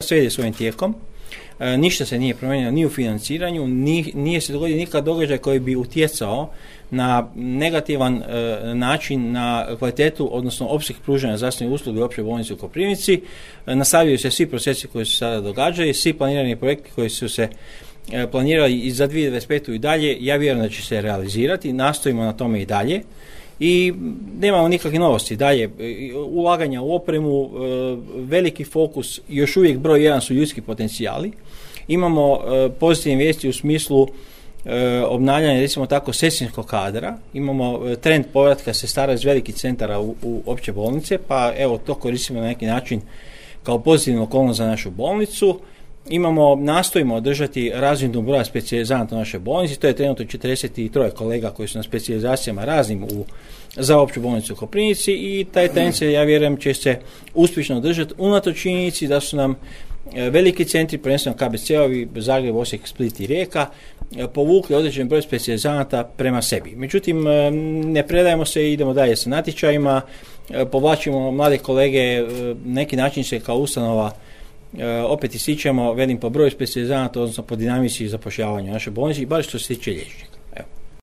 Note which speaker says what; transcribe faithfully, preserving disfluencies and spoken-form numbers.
Speaker 1: Sve ide svojim tijekom, e, ništa se nije promijenilo ni u financiranju, ni, nije se dogodio nikad događaj koji bi utjecao na negativan e, način na kvalitetu, odnosno opseg pružanja zdravstvene usluge u općoj bolnici u Koprivnici. E, nastavljaju se svi procesi koji se sada događaju, svi planirani projekti koji su se e, planirali i za dvije tisuće dvadeset petu i dalje, ja vjerujem da će se realizirati, nastojimo na tome i dalje. I nemamo nikakve novosti. Dalje, ulaganja u opremu, veliki fokus, još uvijek broj jedan su ljudski potencijali. Imamo pozitivne vijesti u smislu obnavljanja, recimo tako, sestrinskog kadra. Imamo trend povratka sestara iz velikih centara u, u opće bolnice, pa evo to koristimo na neki način kao pozitivnu okolnost za našu bolnicu. Imamo, nastojimo održati razinu broja specijalizanata u našoj bolnici, to je trenutno četrdeset tri kolega koji su na specijalizacijama raznim u, za opću bolnicu u Koprivnici i taj trend se, ja vjerujem, će se uspješno održati unatoč činjenici da su nam veliki centri, prvenstveno K B C-ovi, Zagreb, Osijek, Split i Rijeka, povukli određen broj specijalizanata prema sebi. Međutim, ne predajemo se i idemo dalje sa natječajima, povlačimo mlade kolege, neki način se kao ustanova opet ističemo, velim, po broju specijalizanata, odnosno po dinamici zapošljavanja naše bolnice, i bar što se tiče liječnika.